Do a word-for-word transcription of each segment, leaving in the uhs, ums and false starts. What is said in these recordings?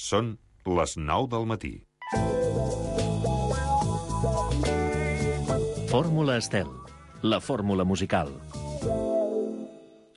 Són les nou del matí. Fórmula Estel, la fórmula musical.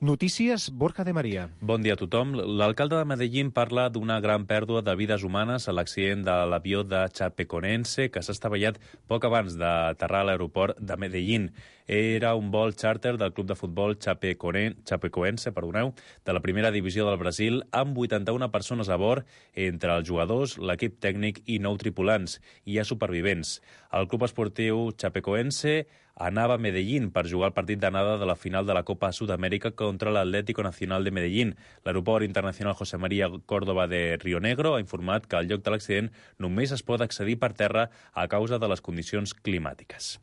Notícies, Borja de Maria. Bon dia a tothom. L'alcalde de Medellín parla d'una gran pèrdua de vides humanes a l'accident de l'avió de Chapecoense que s'ha estavellat poc abans d'aterrar a l'aeroport de Medellín. Era un vol xàrter del club de futbol Chapecoense, perdoneu, de la primera divisió del Brasil, amb vuitanta-una persones a bord, entre els jugadors, l'equip tècnic i nou tripulants. Hi ha supervivents. El club esportiu Chapecoense anava a Medellín per jugar el partit d'anada de la final de la Copa Sud-amèrica contra l'Atlético Nacional de Medellín. L'aeroport internacional José María Córdoba de Río Negro ha informat que al lloc de l'accident només es pot accedir per terra a causa de les condicions climàtiques.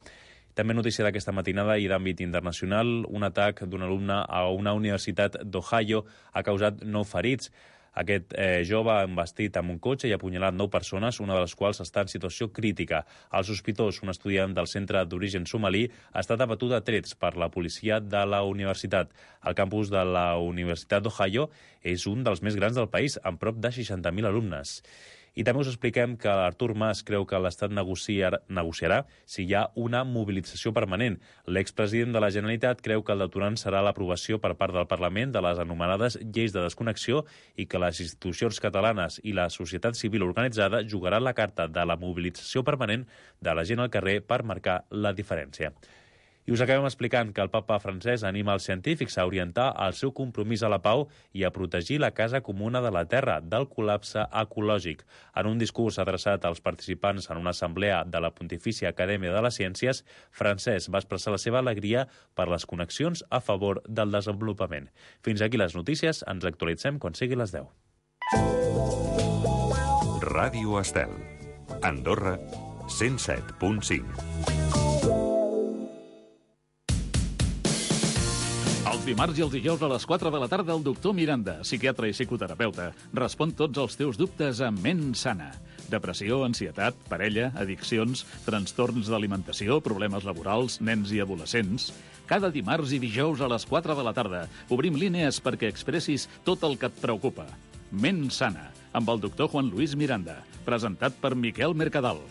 També notícia d'aquesta matinada i d'àmbit internacional, un atac d'un alumne a una universitat d'Ohio ha causat nou ferits. Aquest eh, jove ha embestit amb un cotxe i ha apunyalat nou persones, una de les quals està en situació crítica. El sospitós, un estudiant del centre d'origen somalí, ha estat abatut a trets per la policia de la universitat. El campus de la Universitat d'Ohio és un dels més grans del país, amb prop de seixanta mil alumnes. I també us expliquem que Artur Mas creu que l'Estat negociarà, negociarà si hi ha una mobilització permanent. L'expresident de la Generalitat creu que el detonant serà l'aprovació per part del Parlament de les anomenades lleis de desconnexió i que les institucions catalanes i la societat civil organitzada jugaran la carta de la mobilització permanent de la gent al carrer per marcar la diferència. I us acabem explicant que el papa francès anima els científics a orientar el seu compromís a la pau i a protegir la casa comuna de la Terra del col·lapse ecològic. En un discurs adreçat als participants en una assemblea de la Pontifícia Acadèmia de les Ciències, Francesc va expressar la seva alegria per les connexions a favor del desenvolupament. Fins aquí les notícies, ens actualitzem quan sigui les deu. Ràdio Estel. Andorra, cent set punt cinc. Els dimarts i els dijous a les quatre de la tarda el doctor Miranda, psiquiatre i psicoterapeuta, respon tots els teus dubtes a Ment Sana. Depressió, ansietat, parella, addiccions, trastorns d'alimentació, problemes laborals, nens i adolescents. Cada dimarts i dijous a les quatre de la tarda obrim línies perquè expressis tot el que et preocupa. Ment Sana, amb el doctor Juan Luis Miranda, presentat per Miquel Mercadal.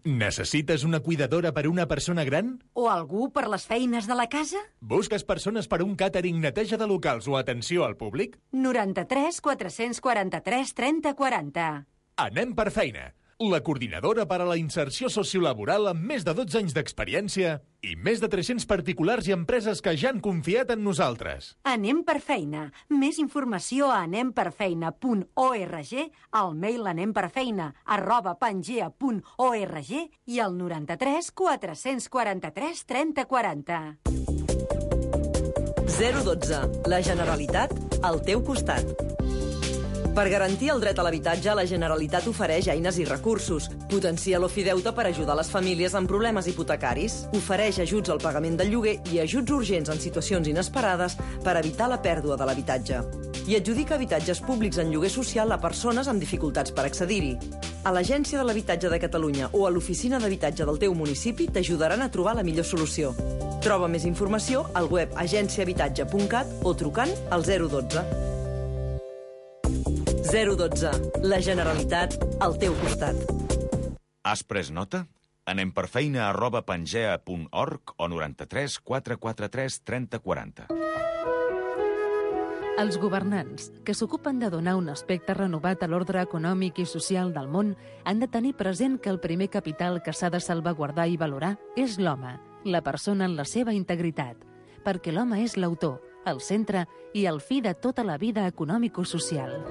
Necessites una cuidadora per una persona gran? O algú per les feines de la casa? Busques persones per un càtering, neteja de locals o atenció al públic? noranta-tres quatre-cents quaranta-tres trenta quaranta. Anem per feina. La coordinadora per a la inserció sociolaboral amb més de dotze anys d'experiència i més de tres-cents particulars i empreses que ja han confiat en nosaltres. Anem per feina. Més informació a anem per feina punt org, al mail anemperfeina arroba pangea punt org i al noranta-tres quatre-cents quaranta-tres trenta quaranta. zero dotze. La Generalitat al teu costat. Per garantir el dret a l'habitatge, la Generalitat ofereix eines i recursos. Potencia l'ofideute per ajudar les famílies amb problemes hipotecaris. Ofereix ajuts al pagament del lloguer i ajuts urgents en situacions inesperades per evitar la pèrdua de l'habitatge. I adjudica habitatges públics en lloguer social a persones amb dificultats per accedir-hi. A l'Agència de l'Habitatge de Catalunya o a l'Oficina d'Habitatge del teu municipi t'ajudaran a trobar la millor solució. Troba més informació al web agenciahabitatge punt cat o trucant al zero dotze. zero dotze. La Generalitat al teu costat. Has pres nota? Anem per feina arroba pangea punt org o noranta-tres quatre quatre tres trenta quaranta. Els governants, que s'ocupen de donar un aspecte renovat a l'ordre econòmic i social del món, han de tenir present que el primer capital que s'ha de salvaguardar i valorar és l'home, la persona en la seva integritat, perquè l'home és l'autor, el centre i el fi de tota la vida econòmico-social.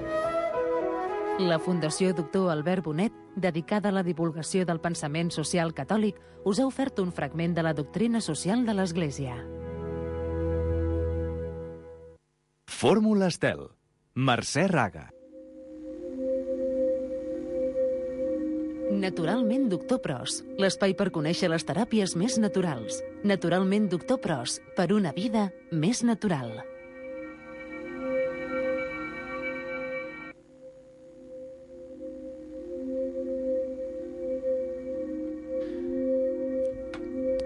La Fundació Doctor Albert Bonet, dedicada a la divulgació del pensament social catòlic, us ha ofert un fragment de la doctrina social de l'Església. Fórmula Estel. Mercè Raga. Naturalment Doctor Pros, l'espai per conèixer les teràpies més naturals. Naturalment Doctor Pros, per una vida més natural.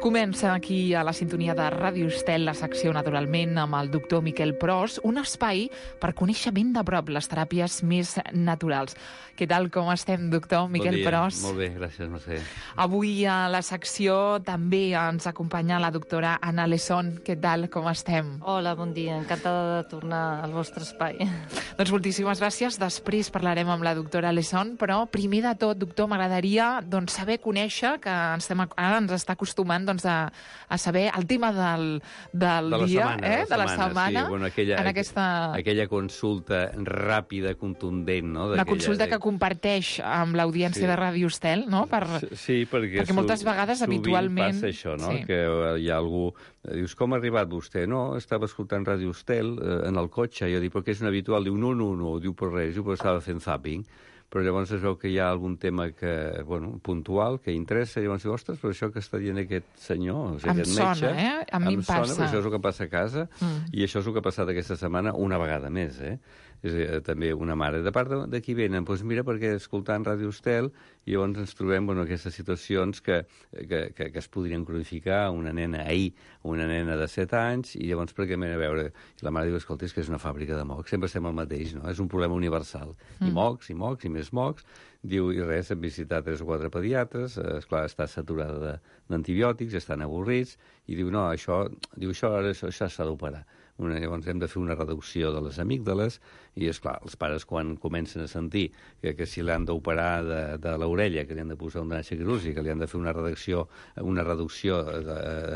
Comença aquí a la sintonia de Ràdio Estel la secció Naturalment amb el doctor Miquel Pros, un espai per conèixer ben de prop les teràpies més naturals. Què tal, com estem, doctor Miquel bon dia. Pros? Molt bé, gràcies, Mercè. Avui a la secció també ens acompanya la doctora Anna Lesón. Què tal, com estem? Hola, bon dia. Encantada de tornar al vostre espai. Doncs moltíssimes gràcies. Després parlarem amb la doctora Lesón, però primer de tot, doctor, m'agradaria doncs, saber conèixer, que ens estem, ara ens està acostumant doncs, a, a saber el tema del, del de la dia, setmana, eh? de la de la setmana, sí, bueno, aquella, en aquesta... aquella consulta ràpida, contundent, no? Una consulta que comparteix amb l'audiència Sí. de Ràdio Estel, no? Per... Sí, perquè, perquè moltes vegades, sovint habitualment... passa això, no? Sí. Que hi ha algú... Dius, com ha arribat vostè? No, estava escoltant Ràdio Estel eh, en el cotxe. Jo dic, però què és un habitual? Diu, no, no, no, diu per res, diu, però estava fent zapping. Però llavors es veu que hi ha algun tema que, bueno, puntual, que interessa, i llavors diu, ostres, però això que està dient aquest senyor, o sigui, Em aquest sona, metge, eh? A mi em sona, passa. però això és el que passa a casa, Mm. i això és el que ha passat aquesta setmana una vegada més, eh? És a dir, també una mare. De part de, de qui venen? Doncs mira, perquè escoltant Ràdio Estel, i llavors ens trobem bueno, aquestes situacions que, que, que, que es podrien cronificar una nena ahir, una nena de set anys, i llavors perquè anem a veure... I la mare diu, escolta, és que és una fàbrica de mocs, sempre estem al mateix, no? És un problema universal. Mm. I mocs, i mocs, i més mocs. Diu, i res, hem visitat tres o quatre pediatres, eh, esclar, està saturada d'antibiòtics, estan avorrits, i diu, no, això, diu, això, això, això s'ha d'operar. Una, llavors hem de fer una reducció de les amígdales i, és clar, els pares quan comencen a sentir que, que si l'han d'operar de, de l'orella, que li han de posar un drenatge quirúrgic, que li han de fer una reducció, una reducció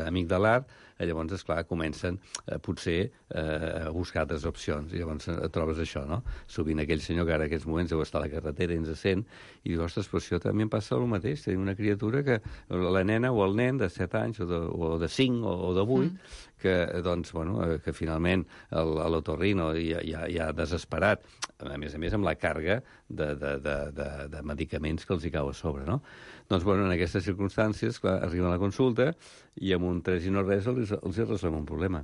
amigdalar, llavors, esclar, comencen eh, potser eh, a buscar altres opcions. I llavors et trobes això, no? Sovint aquell senyor que ara en aquests moments deu estar a la carretera i ens sent i diu, ostres, però això també em passa el mateix. Tenim una criatura que, la nena o el nen de set anys o de, o de cinc o, o de vuit, mm. que, doncs, bueno, que finalment l'otorrino ja, ja, ja desesperat, a més a més amb la càrrega de, de, de, de, de medicaments que els hi cau a sobre, no? Doncs, bueno, en aquestes circumstàncies, clar, arriben a la consulta i amb un tres i no res els, els resolem un problema.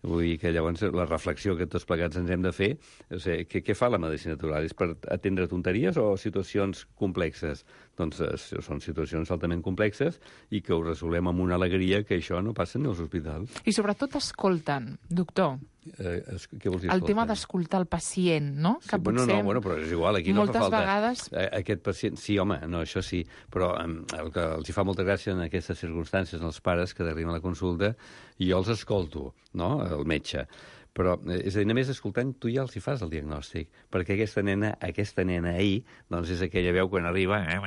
Vull dir que llavors la reflexió que tots plegats ens hem de fer, o sigui, què, què fa la medicina natural? És per atendre tonteries o situacions complexes? Doncs eh, són situacions altament complexes i que ho resolem amb una alegria que això no passa ni als hospitals. I sobretot escolten, doctor. Eh, es, què vols dir, el escolta? tema d'escoltar el pacient, no? Sí, que bueno, potser... no, bueno, però és igual, aquí no fa falta... Vegades... Aquest pacient, sí, home, no, això sí, però el que els hi fa molta gràcia en aquestes circumstàncies als pares que arriben a la consulta i jo els escolto, no?, el metge. Però, és a dir, només escoltant, tu ja els hi fas el diagnòstic, perquè aquesta nena, aquesta nena ahir, doncs és aquella veu quan arriba, eh,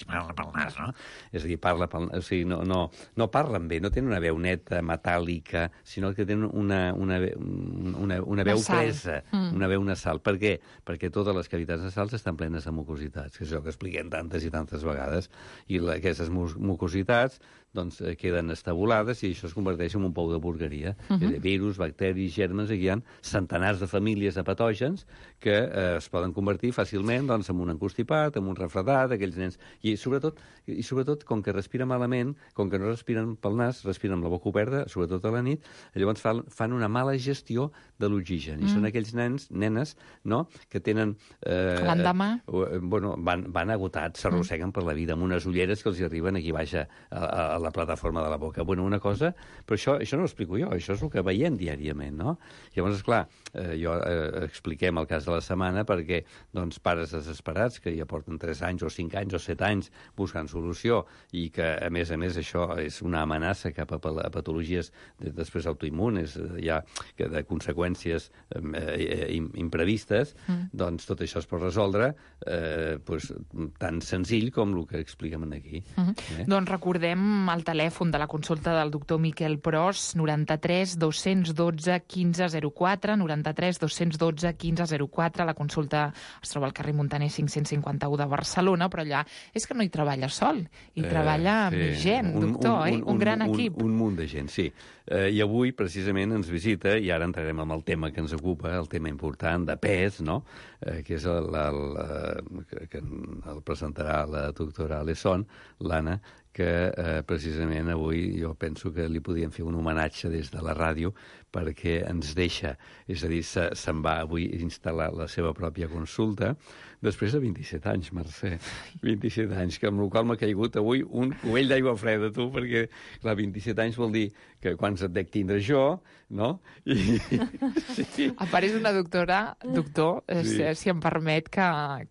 parla pel nas, no? És a dir, parla pel nas, o sigui, no, no, no parlen bé, no tenen una veu neta, metàl·lica, sinó que tenen una, una, una, una veu nasal. presa, mm. una veu nasal. Per què? Perquè totes les cavitats nasals estan plenes de mucositats, que és allò que expliquem tantes i tantes vegades, i la, aquestes mucositats doncs, queden estabulades i això es converteix en un pou de porqueria. Uh -huh. Virus, bacteris, germes, aquí hi ha centenars de famílies de patògens que eh, es poden convertir fàcilment doncs, en un encostipat, en un refredat, aquells nens... I sobretot, i sobretot, com que respiren malament, com que no respiren pel nas, respiren amb la boca oberta, sobretot a la nit, llavors fan, fan una mala gestió de l'oxigen. Mm. I són aquells nens, nenes, no?, que tenen... Eh, L'endemà? Eh, bueno, van, van agotats, s'arrosseguen mm. per la vida, amb unes ulleres que els hi arriben aquí baix a, a, a la plataforma de la boca. Bueno, una cosa... Però això, això no ho explico jo, això és el que veiem diàriament, no? Llavors, esclar, eh, jo eh, expliquem el cas de la setmana perquè, doncs, pares desesperats que ja porten tres anys o cinc anys o set anys buscant solució i que, a més a més, això és una amenaça cap a, a patologies de, després autoimmunes, ja que de conseqüències eh, imprevistes, mm. doncs tot això es pot resoldre eh, pues, tan senzill com el que expliquem aquí. Mm-hmm. Eh? Doncs recordem el telèfon de la consulta del doctor Miquel Pros, noranta-tres dos-cents dotze quinze zero quatre, noranta-tres dos-cents dotze quinze zero quatre. La consulta es troba al carrer Muntaner cinc-cents cinquanta-u de Barcelona, però allà és que no hi treballa sol, hi eh, treballa sí. més gent, doctor, un, un, eh? un, un gran un, equip. Un, un munt de gent, sí. Eh, I avui, precisament, ens visita, i ara entrarem amb el tema que ens ocupa, el tema important de pes, no?, eh, que és el, el, el, que el presentarà la doctora Lesón, l'Anna, que eh, precisament avui jo penso que li podíem fer un homenatge des de la ràdio perquè ens deixa, és a dir, se, se'n va avui instal·lar la seva pròpia consulta, després de vint-i-set anys, Mercè. vint-i-set anys, que amb la qual m'ha caigut avui un cubell d'aigua freda, tu, perquè, clar, vint-i-set anys vol dir que quants et dec tindre jo, no? I... sí. A part, és una doctora, doctor, sí. si, si em permet, que,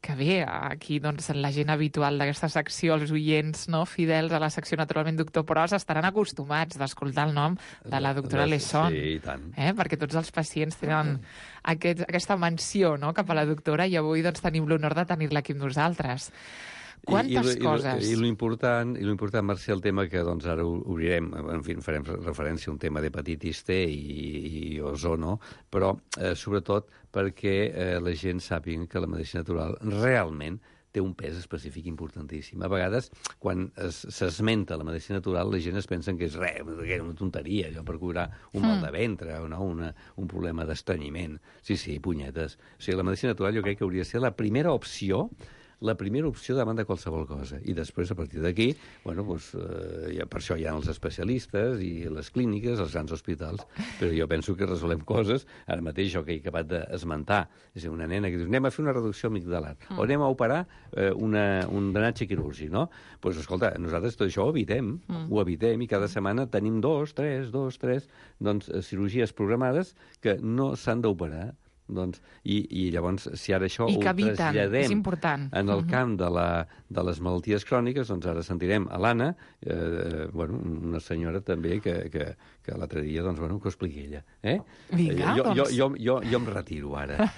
que bé, aquí, doncs, la gent habitual d'aquesta secció, els oients, no?, fidels a la secció, naturalment, doctor Pros, estaran acostumats d'escoltar el nom de la doctora Lesson. Sí, i tant. Eh? Perquè tots els pacients tenen aquest, aquesta menció, no?, cap a la doctora, i avui, doncs, tenim l'honor de tenir-la aquí amb nosaltres. Quantes I, i, coses! I, i l'important, i l'important, Mercè, el tema que doncs, ara obrirem, en fi, farem referència a un tema d'hepatitis C i, i ozono, però eh, sobretot perquè eh, la gent sàpiga que la medicina natural realment té un pes específic importantíssim. A vegades, quan s'esmenta la medicina natural, la gent es pensa que és res, una tonteria, allò per curar un mal de ventre o no, una, un problema d'estrenyiment. Sí, sí, punyetes. O sigui, la medicina natural jo crec que hauria de ser la primera opció la primera opció davant de qualsevol cosa. I després, a partir d'aquí, bueno, doncs, eh, ja, per això hi ha els especialistes i les clíniques, els grans hospitals, però jo penso que resolem coses, ara mateix jo que he acabat d'esmentar, és a dir, una nena que diu, anem a fer una reducció amigdalar, mm. o anem a operar eh, una, un drenatge quirúrgic, no? Doncs, pues, escolta, nosaltres tot això ho evitem, mm. ho evitem, i cada setmana tenim dos, tres, dos, tres, doncs, cirurgies programades que no s'han d'operar. Doncs, i, i llavors, si ara això I ho traslladem en el camp de, la, de les malalties cròniques, doncs ara sentirem a l'Anna, eh, bueno, una senyora també que, que, que l'altre dia, doncs, bueno, que ho expliqui ella. Eh? Vinga, jo, doncs... jo, jo, jo, jo em retiro ara.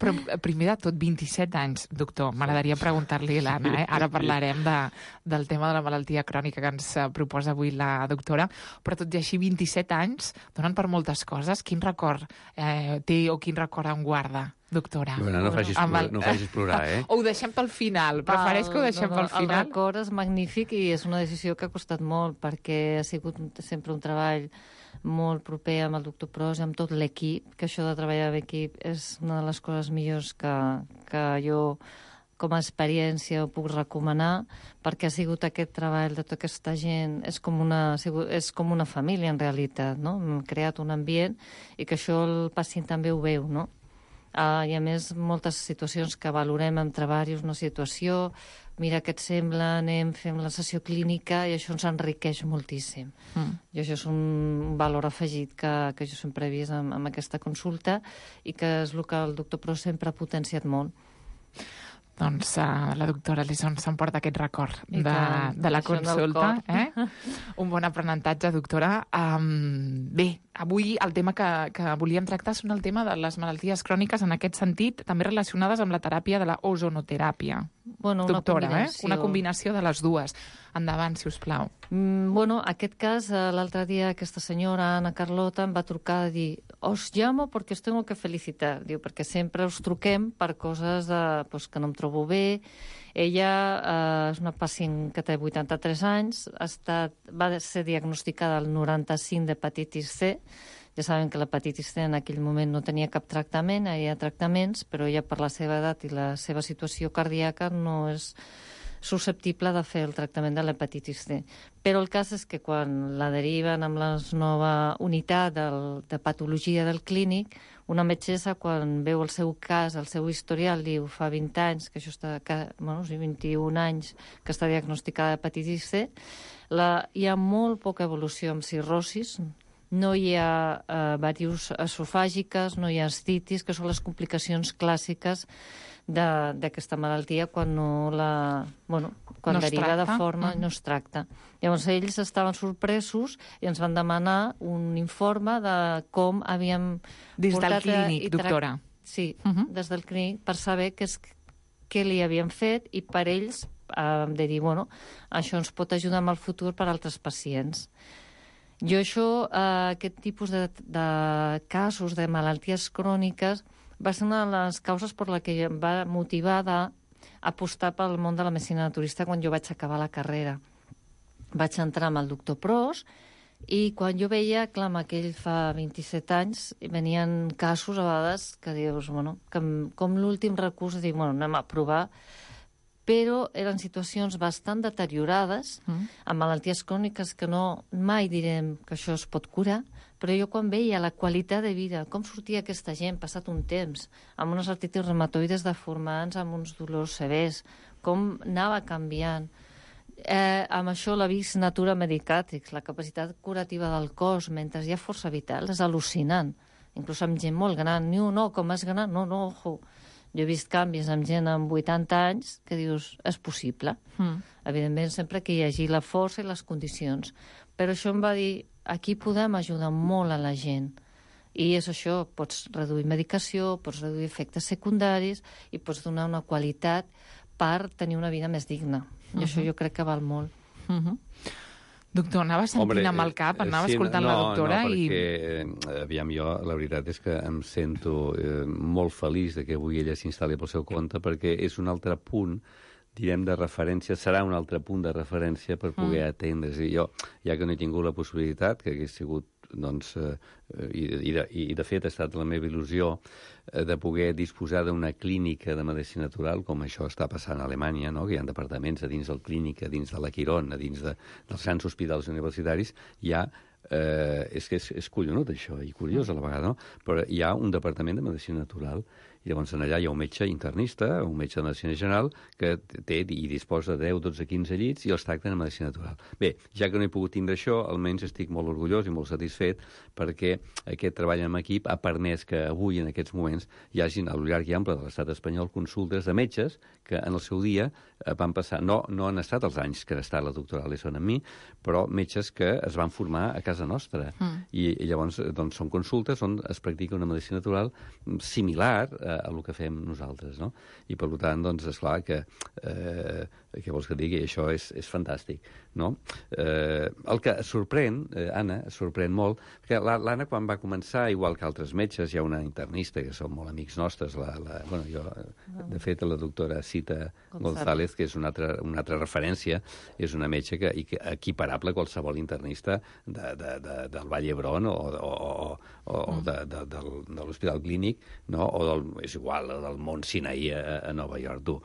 Però primer de tot, vint-i-set anys, doctor. M'agradaria preguntar-li a l'Anna, eh? Ara parlarem de, del tema de la malaltia crònica que ens proposa avui la doctora, però tot i així, vint-i-set anys donen per moltes coses. Quin record eh, té o quin record en guarda, doctora? Bueno, no facis, el... no facis plorar, eh? O ho deixem pel final? Prefereix que ho deixem no, no, pel final? El record és magnífic i és una decisió que ha costat molt, perquè ha sigut sempre un treball molt proper amb el doctor Pros i amb tot l'equip, que això de treballar amb equip és una de les coses millors que, que jo com a experiència ho puc recomanar, perquè ha sigut aquest treball de tota aquesta gent, és com una, és com una família en realitat, no? Hem creat un ambient i que això el pacient també ho veu, no? Uh, I a més, moltes situacions que valorem amb treballs, una situació, mira què et sembla, anem, fem la sessió clínica, i això ens enriqueix moltíssim. Mm. I això és un valor afegit que, que jo sempre he vist amb, amb aquesta consulta i que és el que el doctor Pros sempre ha potenciat molt. Doncs uh, la doctora Lesson s'emporta aquest record de, de la consulta. Eh? Un bon aprenentatge, doctora. Um, bé, avui el tema que, que volíem tractar són el tema de les malalties cròniques, en aquest sentit, també relacionades amb la teràpia de la ozonoteràpia. Bueno, una doctora, combinació. Eh? Una combinació de les dues. Endavant, si us plau. Mm, bueno, aquest cas, l'altre dia aquesta senyora, Ana Carlota, em va trucar a dir os llamo porque os tengo que felicitar. Diu, perquè sempre us truquem per coses de, pues, que no em trobo bé. Ella eh, és una pacient que té vuitanta-tres anys, ha estat, va ser diagnosticada al noranta-cinc d'hepatitis C. Ja saben que l'hepatitis C en aquell moment no tenia cap tractament, hi ha tractaments, però ella per la seva edat i la seva situació cardíaca no és susceptible de fer el tractament de l'hepatitis C. Però el cas és que quan la deriven amb la nova unitat del, de patologia del clínic, una metgessa, quan veu el seu cas, el seu historial, diu fa vint anys, que això està, que, bueno, sí, vint-i-un anys que està diagnosticada d'hepatitis C, la, hi ha molt poca evolució amb cirrosis, no hi ha eh, varius esofàgiques, no hi ha astitis, que són les complicacions clàssiques d'aquesta malaltia quan no la... Bueno, quan no deriva de forma mm. no es tracta. Llavors ells estaven sorpresos i ens van demanar un informe de com havíem... Des del clínic, doctora. Sí, uh -huh. des del clínic, per saber què, és, què li havien fet i per ells eh, de dir, bueno, això ens pot ajudar en el futur per a altres pacients. Jo això, eh, aquest tipus de, de casos de malalties cròniques va ser una de les causes per la que em va motivar d'apostar pel món de la medicina naturista quan jo vaig acabar la carrera. Vaig entrar amb el doctor Pros i quan jo veia, clar, amb aquell fa vint-i-set anys, venien casos a vegades que dius, bueno, que com l'últim recurs, dic, bueno, anem a provar però eren situacions bastant deteriorades, mm. amb malalties cròniques que no mai direm que això es pot curar, però jo quan veia la qualitat de vida, com sortia aquesta gent passat un temps, amb unes artritis reumatoides deformants, amb uns dolors severs, com anava canviant. Eh, amb això la vis natura medicatrix, la capacitat curativa del cos mentre hi ha força vital, és al·lucinant. Inclús amb gent molt gran. Ni un, no, com és gran, no, no, ojo. Jo he vist canvis amb gent amb vuitanta anys que dius, és possible. Mm. Evidentment, sempre que hi hagi la força i les condicions. Però això em va dir, aquí podem ajudar molt a la gent. I és això, pots reduir medicació, pots reduir efectes secundaris i pots donar una qualitat per tenir una vida més digna. I uh-huh. això jo crec que val molt. Uh-huh. Doctor, anava sentint Hombre, amb el cap, anava sí, escoltant no, la doctora no, i... perquè, aviam, jo, la veritat és que em sento eh, molt feliç de que avui ella s'instal·li pel seu compte, perquè és un altre punt, direm, de referència, serà un altre punt de referència per poder mm. atendre. És a dir, jo, ja que no he tingut la possibilitat, que hagués sigut, doncs, eh, i, i, de, i de fet ha estat la meva il·lusió eh, de poder disposar d'una clínica de medicina natural, com això està passant a Alemanya, no? Que hi ha departaments a dins del clínica, a dins de la Quirón, a dins de, dels grans hospitals universitaris, hi ha Eh, és que és, és collonut això, i curiós a la vegada, no? Però hi ha un departament de medicina natural, i llavors allà hi ha un metge internista, un metge de medicina general, que té i disposa de deu, dotze, quinze llits i els tracten en medicina natural. Bé, ja que no he pogut tindre això, almenys estic molt orgullós i molt satisfet perquè aquest treball en equip ha permès que avui, en aquests moments, hi hagin, al llarg i ample de l'estat espanyol, consultes de metges que en el seu dia van passar, no, no han estat els anys que ha estat la doctora Alesson amb mi, però metges que es van formar a casa nostra. Mm. I, I llavors doncs, són consultes on es practica una medicina natural similar a, a el que fem nosaltres, no? I per tant, doncs, esclar que eh, què vols que digui? Això és, és fantàstic, no? Eh, el que sorprèn, eh, Anna, sorprèn molt, perquè l'Anna quan va començar, igual que altres metges, hi ha una internista que són molt amics nostres, la, la, bueno, jo, de fet, la doctora Cita González, que és una altra, una altra referència, és una metge que, que equiparable a qualsevol internista de, de, de, del Vall d'Hebron o, o, o, o de, de, del, de l'Hospital Clínic, no? O del, és igual, del Mont Sinaí a, a Nova York, tu.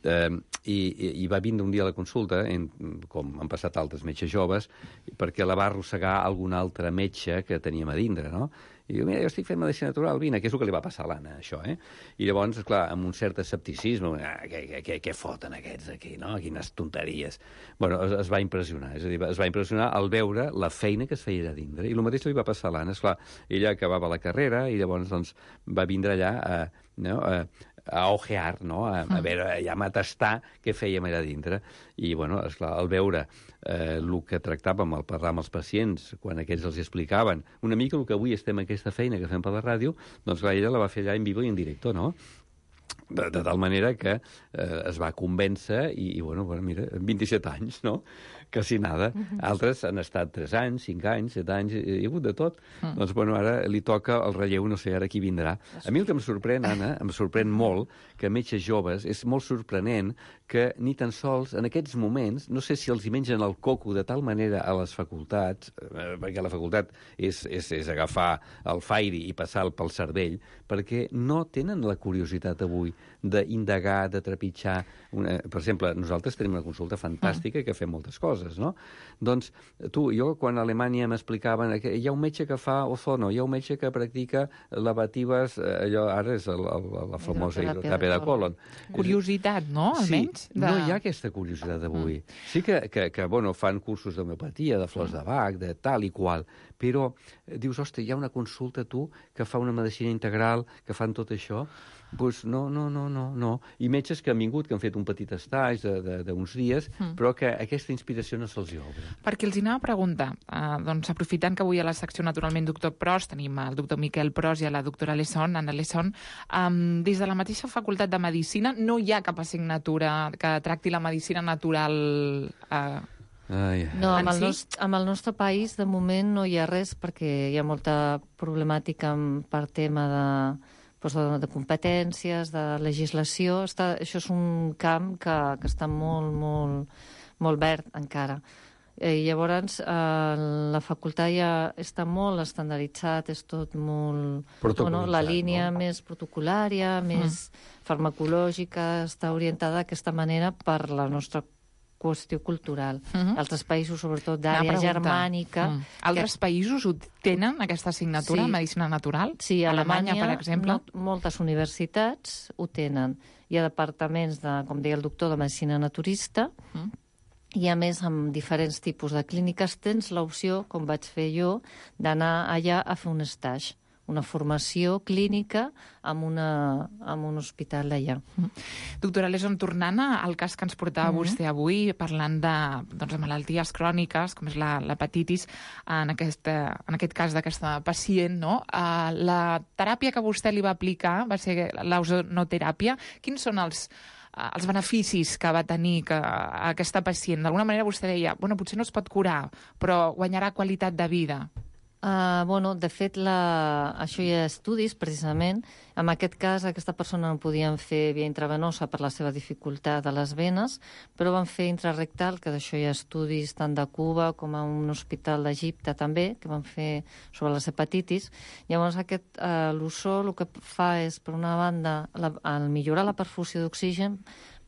Eh, i, i va vindre un dia a la consulta, en, com han passat altres metges joves, perquè la va arrossegar algun altre metge que teníem a dindre, no? I diu, mira, jo estic fent medicina natural, vine, que és el que li va passar a l'Anna, això, eh? I llavors, clar, amb un cert escepticisme, ah, què, què, què foten aquests aquí, no? Quines tonteries. Bueno, es, es va impressionar, és a dir, es va impressionar al veure la feina que es feia allà dindre. I el mateix li va passar a l'Anna, esclar, ella acabava la carrera i llavors, doncs, va vindre allà a, no, a, a ojear, no? A, a veure, ja a tastar què fèiem allà dintre. I, bueno, esclar, al veure eh, el que tractàvem, al parlar amb els pacients, quan aquells els explicaven, una mica el que avui estem en aquesta feina que fem per la ràdio, doncs clar, ella la va fer allà en vivo i en directo, no? De, de tal manera que eh, es va convèncer i, i bueno, bueno, mira, vint-i-set anys, no? Quasi nada. Uh-huh. Altres han estat tres anys, cinc anys, set anys, hi ha hagut de tot. Uh-huh. Doncs, bueno, ara li toca el relleu, no sé ara qui vindrà. A mi el que em sorprèn, Anna, em sorprèn molt que metges joves, és molt sorprenent que ni tan sols en aquests moments, no sé si els hi mengen el coco de tal manera a les facultats, eh, perquè la facultat és, és, és agafar el fairi i passar pel cervell, perquè no tenen la curiositat avui d'indagar, de trepitjar. Una... Per exemple, nosaltres tenim una consulta fantàstica uh-huh. que fem moltes coses, no? Doncs, tu, jo, quan a Alemanya m'explicaven que hi ha un metge que fa ozono, hi ha un metge que practica lavatives, allò ara és el, el, la famosa hidroteràpia de colon. Curiositat, no? Almenys? Sí, de... no hi ha aquesta curiositat avui. Mm. Sí que, que, que, bueno, fan cursos d'homeopatia, de flors de Bach, de tal i qual, però dius, ostres, hi ha una consulta, tu, que fa una medicina integral, que fan tot això. Doncs no, no, no, no, no. I metges que han vingut, que han fet un petit estatge d'uns dies, mm. però que aquesta inspiració no se'ls hi obre. Perquè els anava a preguntar, eh, doncs aprofitant que avui a la secció Naturalment Doctor Pros tenim el doctor Miquel Pros i a la doctora Alesson, Anna Alesson, um, des de la mateixa Facultat de Medicina no hi ha cap assignatura que tracti la medicina natural... Eh, Ai. No, amb el, nostre, amb el nostre país de moment no hi ha res perquè hi ha molta problemàtica per tema de, doncs de, de competències, de legislació. Està, això és un camp que, que està molt, molt, molt verd encara. I llavors eh, la facultat ja està molt estandarditzat, és tot molt... Bueno, la línia no? més protocolària, més mm. farmacològica, està orientada d'aquesta manera per la nostra qüestió cultural. Mm-hmm. Altres països, sobretot d'àrea germànica... Mm. Altres que... països ho tenen, aquesta assignatura, sí. medicina natural? Sí, a Alemanya, Alemanya, per exemple? No, moltes universitats ho tenen. Hi ha departaments, de, com deia el doctor, de medicina naturista, mm. i a més, amb diferents tipus de clíniques, tens l'opció, com vaig fer jo, d'anar allà a fer un stage, una formació clínica en, una, en un hospital d'allà. Mm. Doctora Leson, tornant al cas que ens portava mm-hmm. vostè avui, parlant de, doncs, de malalties cròniques, com és la, l'hepatitis, en aquest, en aquest cas d'aquesta pacient, no? Uh, la teràpia que vostè li va aplicar va ser l'ozonoteràpia. Quins són els els beneficis que va tenir que, aquesta pacient? D'alguna manera vostè deia, bueno, potser no es pot curar, però guanyarà qualitat de vida. Uh, bueno, de fet, la... això hi ha estudis, precisament. En aquest cas, aquesta persona no podien fer via intravenosa per la seva dificultat a les venes, però van fer intrarectal, que d'això hi ha estudis tant de Cuba com a un hospital d'Egipte també, que van fer sobre les hepatitis. Llavors, aquest, uh, l'ozó el que fa és, per una banda, la, al millorar la perfusió d'oxigen,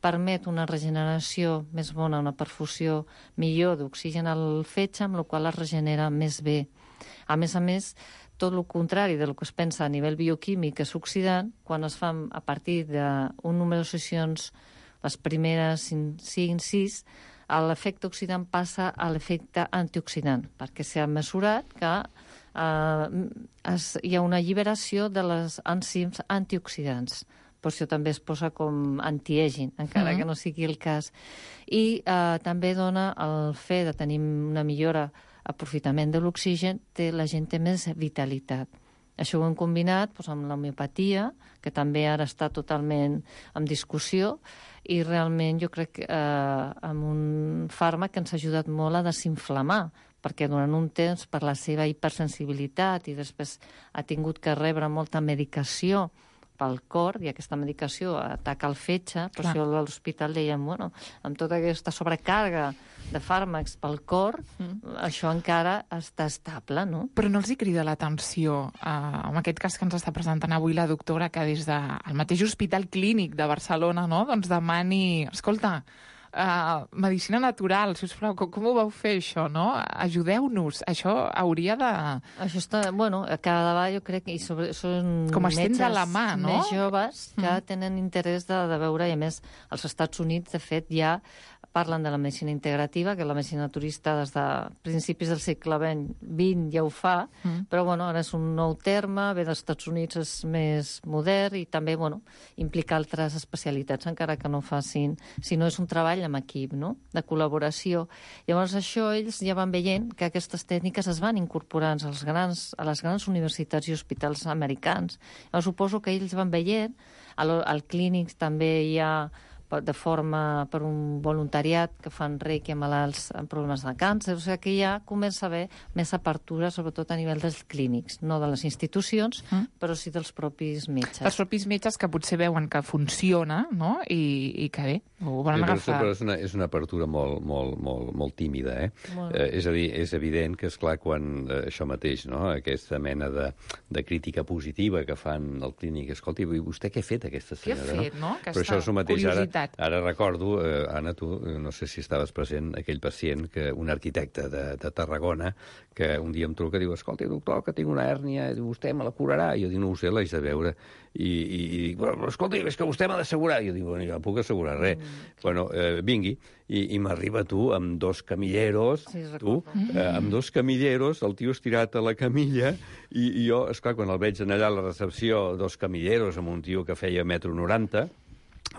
permet una regeneració més bona, una perfusió millor d'oxigen al fetge, amb la qual es regenera més bé. A més a més, tot el contrari del que es pensa a nivell bioquímic és oxidant, quan es fan a partir d'un número de sessions, les primeres cinc sis, l'efecte oxidant passa a l'efecte antioxidant, perquè s'ha mesurat que eh, es, hi ha una alliberació de les enzims antioxidants. Per això també es posa com antiaging, encara mm-hmm. que no sigui el cas. I eh, també dona el fet de tenir una millora aprofitament de l'oxigen, té, la gent té més vitalitat. Això ho hem combinat doncs, amb l'homeopatia, que també ara està totalment en discussió, i realment jo crec que eh, amb un fàrmac que ens ha ajudat molt a desinflamar, perquè durant un temps, per la seva hipersensibilitat, i després ha tingut que rebre molta medicació pel cor, i aquesta medicació ataca el fetge, per això a l'hospital dèiem, bueno, amb tota aquesta sobrecàrrega de fàrmacs pel cor, mm. això encara està estable, no? Però no els hi crida l'atenció, eh, en aquest cas que ens està presentant avui la doctora, que des del mateix Hospital Clínic de Barcelona, no?, doncs demani, escolta, Uh, medicina natural, sisplau, com, com ho vau fer això, no? Ajudeu-nos, això hauria de... Això està, bueno, cada vegada jo crec que i sobre, són com estén de la mà, no? Més joves que mm. tenen interès de, de veure, i a més, als Estats Units, de fet, ja parlen de la medicina integrativa, que la medicina naturista des de principis del segle vint ja ho fa, mm. però bueno, ara és un nou terme, ve dels Estats Units és més modern i també bueno, implica altres especialitats, encara que no facin, si no és un treball amb equip, no? De col·laboració. Llavors això ells ja van veient que aquestes tècniques es van incorporant als grans, a les grans universitats i hospitals americans. Llavors suposo que ells van veient, al, al clínic també hi ha de forma per un voluntariat que fan reiki a malalts amb problemes de càncer, o sigui que ja comença a haver més apertura, sobretot a nivell dels clínics, no de les institucions, mm. però sí dels propis metges. Els propis metges que potser veuen que funciona, no?, i, i que bé, ho volen sí, agafar. Però és una, és una apertura molt, molt, molt, molt tímida, eh? Molt. eh? És a dir, és evident que, esclar, quan eh, això mateix, no?, aquesta mena de, de crítica positiva que fan al clínic, escolti, vostè què ha fet, aquesta senyora? Què ha fet, no? no? Però això és el mateix ara. Ara recordo, eh, Anna, tu, no sé si estaves present, aquell pacient, que un arquitecte de, de Tarragona, que un dia em truca i diu, escolta, doctor, que tinc una hèrnia, i vostè me la curarà? I jo dic, no ho sé, l'haig de veure. I, i, i dic, però, escolta, és que vostè m'ha d'assegurar. I jo dic, bueno, jo no puc assegurar res. Mm. Bueno, eh, vingui, i, i m'arriba tu amb dos camilleros, sí, tu, eh, amb dos camilleros, el tio estirat a la camilla, i, i jo, esclar, quan el veig anar allà a la recepció, dos camilleros amb un tio que feia metro noranta,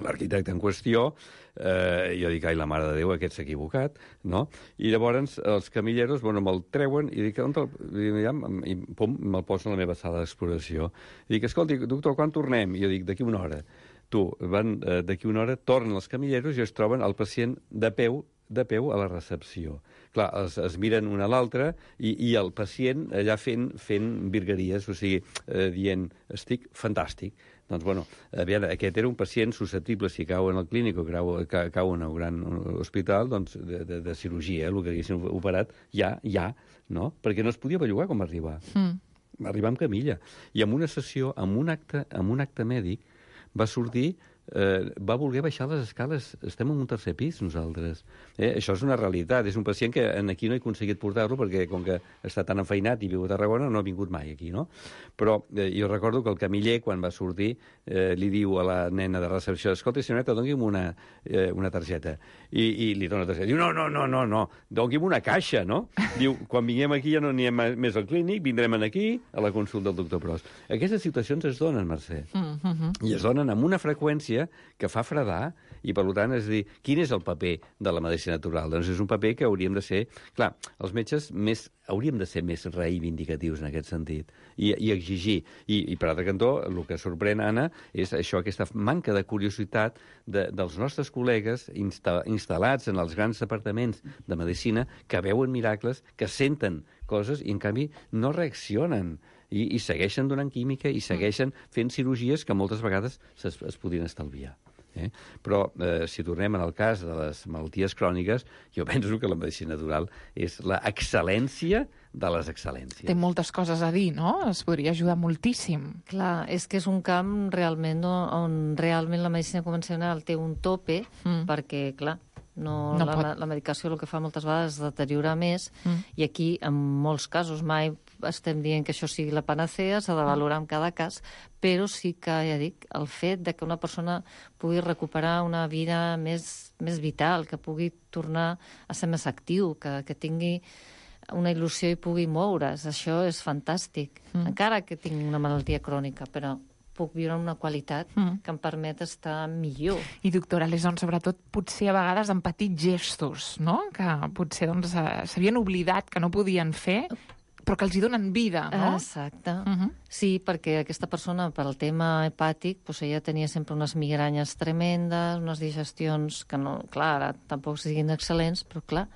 l'arquitecte en qüestió, eh, jo dic, ai, la mare de Déu, aquest s'ha equivocat, no? I llavors els camilleros, bueno, me'l treuen i dic, on te'l... I, i pum, me'l posen a la meva sala d'exploració. I dic, escolti, doctor, quan tornem? I jo dic, d'aquí una hora. Tu, van, eh, d'aquí una hora, tornen els camilleros i es troben el pacient de peu de peu a la recepció. Clar, es, es miren un a l'altre i, i el pacient allà fent, fent virgueries, o sigui, eh, dient, estic fantàstic. Doncs, bueno, a veure, aquest era un pacient susceptible, si cau en el clínic o cau, cau en un gran hospital, doncs, de, de, de cirurgia, el que haguessin operat, ja, ja, no? Perquè no es podia bellugar com arribar. Mm. Va arribar amb camilla. I en una sessió, amb un acte, amb un acte mèdic, va sortir... Eh, va voler baixar les escales. Estem en un tercer pis, nosaltres. Eh? Això és una realitat. És un pacient que aquí no he aconseguit portar-lo perquè, com que està tan enfeinat i viu a Tarragona, no ha vingut mai aquí, no? Però eh, jo recordo que el camiller, quan va sortir, eh, li diu a la nena de recepció, escolta, senyoreta, doni'm una, eh, una targeta. I, I li dona la targeta. Diu, no, no, no, no, no, doni'm una caixa, no? Diu, quan vinguem aquí ja no anem més al clínic, vindrem aquí a la consulta del doctor Pros. Aquestes situacions es donen, Mercè. Mm-hmm. I es donen amb una freqüència que fa fredar, i per tant, és a dir, quin és el paper de la medicina natural? Doncs és un paper que hauríem de ser... Clar, els metges més, hauríem de ser més reivindicatius en aquest sentit, i, i exigir. I, I per altre cantó, el que sorprèn, Anna, és això, aquesta manca de curiositat de, dels nostres col·legues insta, instal·lats en els grans departaments de medicina, que veuen miracles, que senten coses i, en canvi, no reaccionen. I, i segueixen donant química i segueixen fent cirurgies que moltes vegades es, es podrien estalviar. Eh? Però, eh, si tornem al cas de les malalties cròniques, jo penso que la medicina natural és la excel·lència de les excel·lències. Té moltes coses a dir, no? Es podria ajudar moltíssim. Clar, és que és un camp realment on realment la medicina convencional té un tope, mm. perquè, clar, no, no la, pot... la medicació el que fa moltes vegades és deteriorar més, mm. i aquí, en molts casos, mai estem dient que això sigui la panacea, s'ha de valorar en cada cas, però sí que, ja dic, el fet de que una persona pugui recuperar una vida més, més vital, que pugui tornar a ser més actiu, que, que tingui una il·lusió i pugui moure's, això és fantàstic. Mm. Encara que tingui una malaltia crònica, però puc viure amb una qualitat mm. que em permet estar millor. I, doctora Leson, sobretot, potser a vegades amb petits gestos, no? Que potser doncs, s'havien oblidat que no podien fer, però que els hi donen vida, no? Exacte. Uh-huh. Sí, perquè aquesta persona, per al tema hepàtic, doncs ella tenia sempre unes migranyes tremendes, unes digestions que, no, clar, ara tampoc siguin excel·lents, però clar,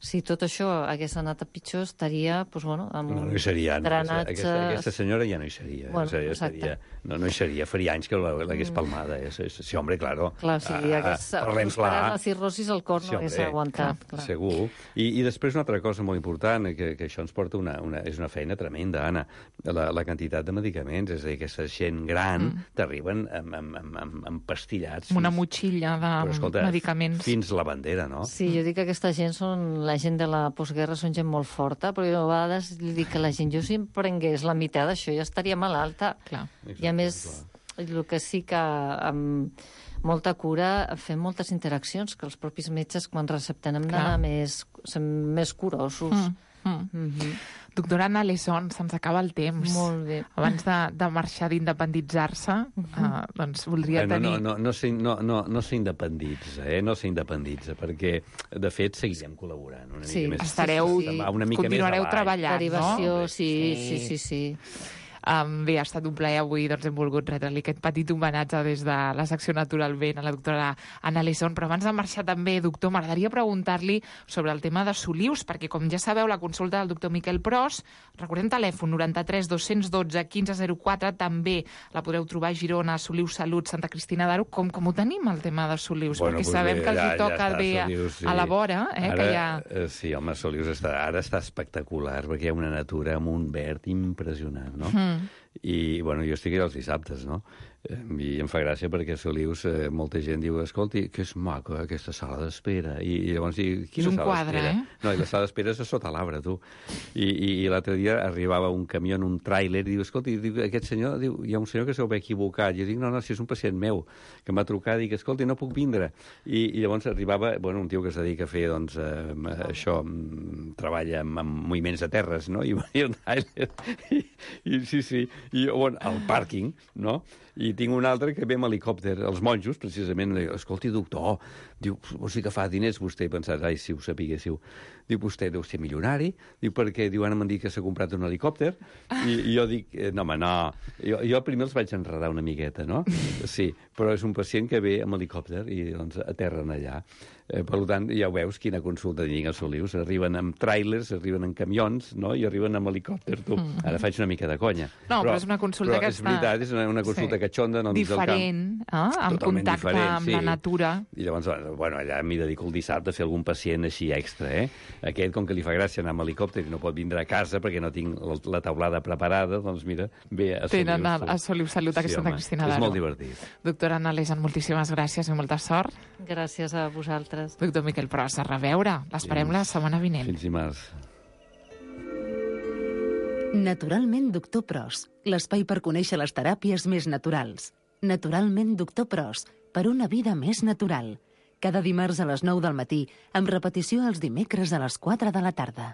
si tot això hagués anat a pitjor, estaria, doncs, bueno, amb no, no hi seria, no. drenatges... Aquesta, aquesta senyora ja no hi seria. Bueno, seria, seria no, no hi seria. Faria anys que l'hagués palmada. Eh? Sí, home, claro. Clar, si hagués prosperat la cirrosis, el cor no sí, hagués aguantat. Clar. Segur. I, I després una altra cosa molt important, que, que això ens porta una, una... És una feina tremenda, Anna. La, la quantitat de medicaments, és a dir, aquesta gent gran mm. t'arriben amb, amb, amb, amb, amb pastillats. Una fins... motxilla de però, escolta, medicaments. Fins la bandera, no? Sí, jo dic que aquesta gent són... La gent de la postguerra són gent molt forta, però jo a vegades li dic que la gent, jo si em prengués la meitat d'això ja estaria malalta. Clar. I a més, clar. El que sí que amb molta cura fem moltes interaccions, que els propis metges quan recepten hem d'anar més, més curosos. Mm. Mm. Mm-hmm. Doctora Anna Leson, se'ns acaba el temps. Molt bé. Abans de, de marxar, d'independitzar-se, uh-huh. uh, doncs voldria eh, no, tenir... No, no, no, no, no, no s'independitza, eh? No s'independitza, perquè, de fet, seguirem col·laborant una sí, mica més. Estareu, sí. Una mica continuareu més treballant, derivació, no? Sí, sí, sí, sí. Um, bé, ha estat un plaer avui, doncs hem volgut retre-li aquest petit homenatge des de la secció Naturalment a la doctora Anna Leson, però abans de marxar també, doctor, m'agradaria preguntar-li sobre el tema de Solius, perquè com ja sabeu, la consulta del doctor Miquel Pros, recordem telèfon noranta-tres dos-cents dotze quinze zero quatre, també la podreu trobar a Girona, Solius Salut, Santa Cristina d'Aro. Com, com ho tenim, el tema de Solius? Bueno, perquè pues sabem bé, que els ja, hi toca ja bé a, Solius, sí. a la vora, eh, ara, que hi ha... Sí, home, Solius està, ara està espectacular, perquè hi ha una natura amb un verd impressionant, no? Mm. I, bueno, jo estic allà els dissabtes, no? I em fa gràcia perquè a Solius eh, molta gent diu, escolti, que és maco, eh, aquesta sala d'espera. I, I llavors diu, quina és un sala quadre, d'espera? Eh? No, i la sala d'espera és a sota l'arbre, tu. I, i, i l'altre dia arribava un camió en un tràiler i diu, escolti, diu, aquest senyor, diu, hi ha un senyor que s'ho va equivocat. I jo dic, no, no, si és un pacient meu, que m'ha trucat i dic, escolti, no puc vindre. I, i llavors arribava, bueno, un tio que es dedica a fer, doncs, eh, això, treballa amb, amb moviments de terres, no? I, i el tràiler, i, i sí, sí, i bueno, al pàrquing, no? I tinc un altre que ve amb helicòpter. Els monjos, precisament, escolti, doctor, diu, vols dir que fa diners vostè? I pensat, ai, si ho sapiguéssiu. Diu, vostè deu ser milionari? Diu, perquè diu, ara m'han dit que s'ha comprat un helicòpter. I, i jo dic, no, home, no. Jo, jo primer els vaig enredar una miqueta, no? Sí, però és un pacient que ve amb helicòpter i doncs aterren allà. Eh, per tant, ja ho veus, quina consulta tinc a Solius. Arriben amb tràilers, arriben amb camions, no? I arriben amb helicòpter, tu. Ara faig una mica de conya. No, però, però és una consulta però que és està... veritat, és una, una consulta sí. catxonda en el mig del camp. Diferent, eh? En Totalment contacte diferent, amb sí. la natura. I llavors, bueno, allà m'hi dedico el dissabte a fer algun pacient així extra, eh? Aquest, com que li fa gràcia anar amb helicòpter i no pot vindre a casa perquè no tinc la taulada preparada, doncs mira, ve a Solius. Tenen a, a Solius Salut, aquesta sí, home, Cristina Daro. És molt divertit. Doctora Anna Lejan, moltíssimes gràcies i molta sort. Gràcies a vosaltres. Doctor Miquel Pros, a reveure. L'esperem la setmana vinent. Fins dimarts. Naturalment Doctor Pros, l'espai per conèixer les teràpies més naturals. Naturalment Doctor Pros, per una vida més natural. Cada dimarts a les nou del matí, amb repetició els dimecres a les quatre de la tarda.